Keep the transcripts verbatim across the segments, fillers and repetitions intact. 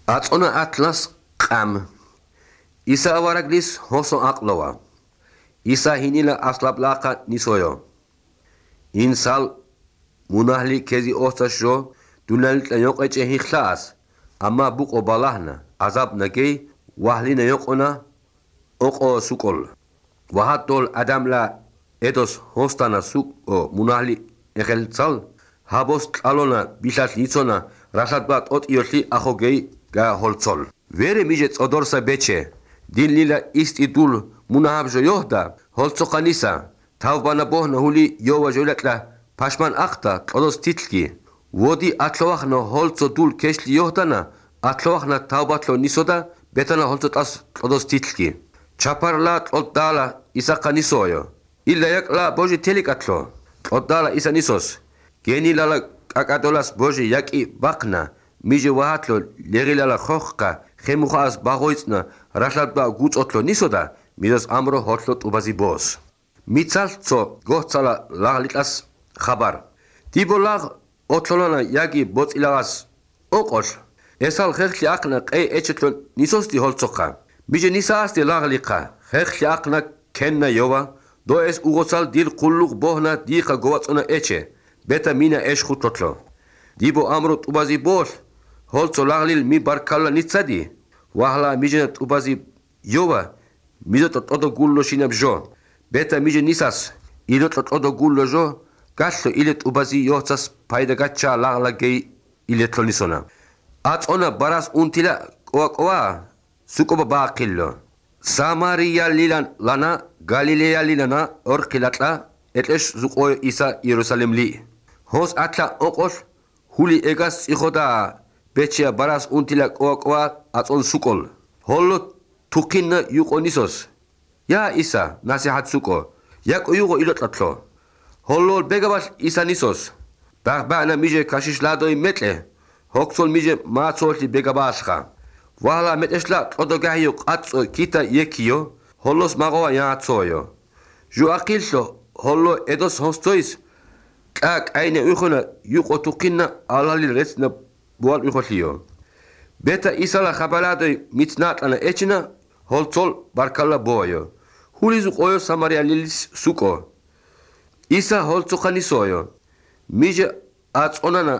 აწონა ათლას ყამ ისა ავარაგლის ჰოსო აყლოვა ისა ჰინილა ასლაბლაყა ნისოյო ინსალ მუნაჰლი ქეზი ოსტაშო დუნალიტა იოყეჭე ჰიხლას ამა ბუყო ბალაჰნა აზაბნაგეი ვაჰლინა იოყონა ოყო სუკოლ ვაჰატოლ ადამლა ედოს ჰოსტანა სუკო მუნაჰლი ეხელცალ ჰაბოს ყალონა ბიშას იცონა რასადბა ტოტიოშლი ახოგეი გა ჰოლცოლ ვერე მიჟე წოდორსა ბეჩე დილლილა ისტიდულ მუნაჰაბჟო იოჰდა ჰოლცოყანისა თავბანა ბოჰნა ჰული იოვა ჟოლაკლა ფაშმან ახტა ყოდოს თითლკი ვოდი ათლოვახნა ჰოლცო დულ ქეშლი იოჰდანა ათლოვახნა თავბათლო ნისოდა ბეტანა ჰოლცო ტას ყოდოს თითლკი ჩაფარლა ყოდალა ისაყანისოյო ილლა აკლა ბოჟი თელიკათლო ყოდალა ისანისოს გენილალა კაკადოლას ბოჟი යაკი ბახნა მიჟე ვაჰათლო ლერილალა ხოხკა ხემუხას ბაღოიცნა რაშადბა გუწოთლო ნისოდა მიდას ამრო ჰოთლო ტუბაზი ბოს მიცალცო გოხცალა ლაღლიტას ხაბარ დიბოლაღ ოთლონა იაგი ბოწილაღას ოყოშ ესალ ხერხლი აყნა ყე ეჩეთლო ნისოსტი ჰოლცოხა მიჟე ნისაასტი ლაღლიყა ხერხლი აყნა ქენნა იოვა დო ეს უღოცალ დილ ყულუღ ბოჰნა დიხა გოვაწონა ეჩე ბეტა მინა ეშ ხუთლოთლო დიბო ამრო ტუბაზი ბოს ჰოლცო ლაღლილ მი ბარკალა ნიცადი ვაჰლა მიჟე ტუბაზი იოვა მიზოტო ტოდო გულლო შინაბჟო ბეტა მიჟე ნისას ილოტო ტოდო გულლო ჟო გაშლო ილე ტუბაზი იოხცას ფაიდა გაჩა ლაღლა გეი ილეთლო ნისონა აწონა ბარას უნთილა ყოა ყოა სუკობა ბაყილო სამარია ლილან ლანა გალილეა ლილანა ორქილატლა ეტლეშ ზუყო ისა იერუსალემლი ჰოს ათლა ოყოს ჰული ეგას იხოდა ბეჩია ბარას უნთილა ყოა ყოა აწონ სუკოლ ჰოლო თუქინა იუყონისოს ია ისა ნასიჰათ სუკო იაკო იუყო ილოტლათლო ჰოლო ბეგაბაშ ისანისოს ბაღბანა მიჟე ქაშიშლადოი მეტლე ჰოქსოლ მიჟე მააცოლი ბეგაბაშხა ვალა მეტეშლა ტოდოგაიო ყაწო კიტა იეკიო ჰოლოს მაღოა იაცოიო ჟუაყილშო ჰოლო ედოს ჰოსტოის კაკ აინე უხონა იუყო თუქინა ალალი რეცნა ბუალ უხოლიო ბეტა ისალა ხაბალადოი მიცნატანა ეჩნა ჰოლცოლ ბარკალა ბოიო ჰულიზუ ყოიო სამარია ლილის სუკო ისა ჰოლცოხანისოიო მიჟე აწონანა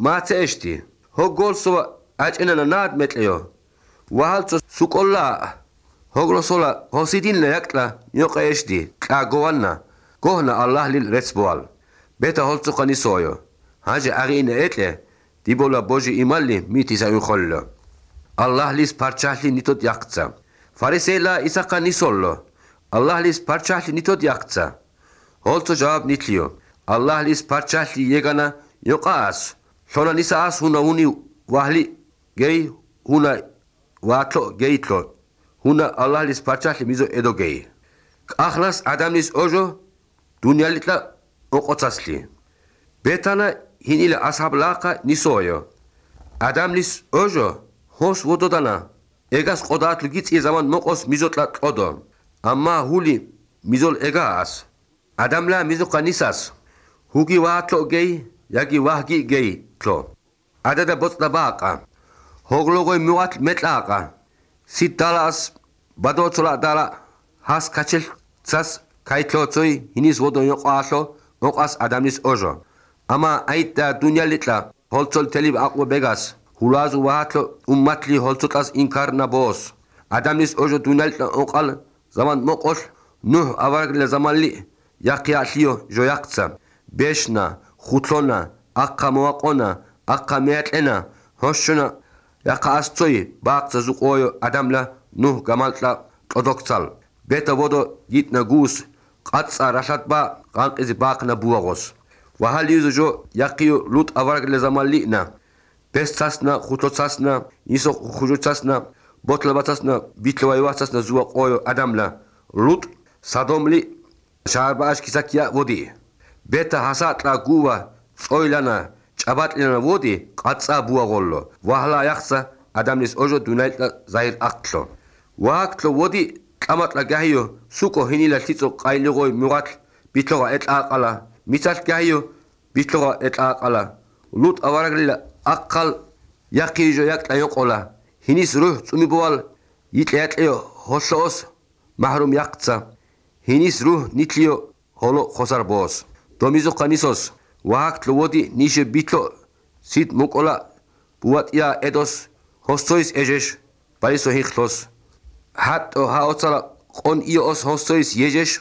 მაცეშტი ჰოგოლსოვა აჭენანა ნად მეტლიო ვაჰალცო სუკოლა ჰოგლოსოლა ჰოსიდინლა აკლა იოყეშტი კაგოვანა გოჰნა ალლაჰ ლილ რეცბოალ ბეტა ჰოლცოხანისოიო ჰაჯე აღინე ეტლე დიბოლა ბოჟი იმალი მითისა უხოლლო ალლაჰ ლის პარჩაჰლი ნიტოთ იახცა ფარისელა ისაყანისოლო ალლაჰ ლის პარჩაჰლი ნიტოთ იახცა ჰოლცო ჯავაბ ნიტლიო ალლაჰ ლის პარჩაჰლი იგანა იოყას შონა ნისას ჰუნა უნი ვაჰლი გეი ჰუნა ვათლო გეითლო ჰუნა ალლაჰ ლის პარჩაჰლი მიზო ედო გეი ყახლას ადამის ოჟო დუნიალიტლა ოყოცასლი ბეტანა ჰინილა ასაბლაყა ნისოიო ადამლის ოჟო ჰოს ვოდოდანა ეგას ყოდათლ გიწი ზამან მოყოს მიზოტლა ყოდო ამა ჰული მიზოლ ეგას ადამლა მიზოყა ნისას ჰუგი ვათლო გეი იაგი ვაჰგი გეი თლო ადადა ბოწდა ბაყა ჰოგლოგოი მუატ მეტლაყა სიტალას ბადოცლა დალა ჰას კაჩელ ცას კაითლოცოი ჰინის ვოდო იოყაშო მოყას ადამლის ოჟო ამა აიტა დუნიალიტლა ჰოლცოლ თელი აყვა ბეგას ჰულაზუ ვაათლო უმმათლი ჰოლცოტას ინკარნა ბოს ადამიანის ოჟო დუნიალიტლა ოყალ ზამან მოყოს ნუჰ ავარგლა ზამალი იაყიალიო ჟოიაყცა ბეშნა ხუთლონა აყა მოაყონა აყა მეატენა ჰოშნა იაყასწოი ბაყცა ზუყოიო ადამლა ნუჰ გამალტლა ყოდოქცალ ბეტა ვოდო იტნა გუს ყაცა რაშატბა ყანყიზი ბაყნა ბუაღოს ვაჰალიუზო ჟო იაყიო ლუტ ავარგლა ზამალინა ბესცასნა ხუთოცასნა ისო ხუჯოცასნა ბოთლებაცასნა ბიტლოვაივაცასნა ზუა ყოიო ადამლა ლუტ სადომლი შარბაშ კისაკია ვოდი ბეტა ჰასატლა გუვა წოილანა ჭაბატლიანა ვოდი ყაცა ბუაღოლლო ვაჰლა იახსა ადამიანის ოჟო დუნაიტლა ზაირ აქტლო ვააქტლო ვოდი ყამატლა გაიო სუკო ჰინილა თიწო ყაილიღოი მუღატ ბიტლოღა ეტაყალა მიცალ გაიო ბიტლოღა ეტაყალა ლუტ ავარაგლილა აყალ იაყიჟო იაყლა იოყოლა Hinis ruh tsumibowal yitleatleo hosos mahrum yaqtsa. Hinis ruh nitlio holo khosar bos. Domizo kanisos wahakt lowodi nishe bitlo sit mukola buatia edos hostois ejesh baliso hikhlos. Hat o haotsala qon ios hostois yejesh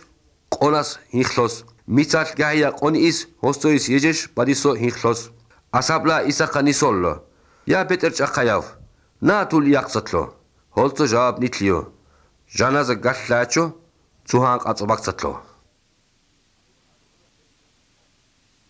qonas hikhlos. Mitsal gahia qon is hostois yejesh baliso hikhlos. Asabla isa kanisol. Ya beter chaqayav. Na tul yaqsatlo. Holto jawab nitlio. Janaza gallacho tsuhan qatsabaqsatlo.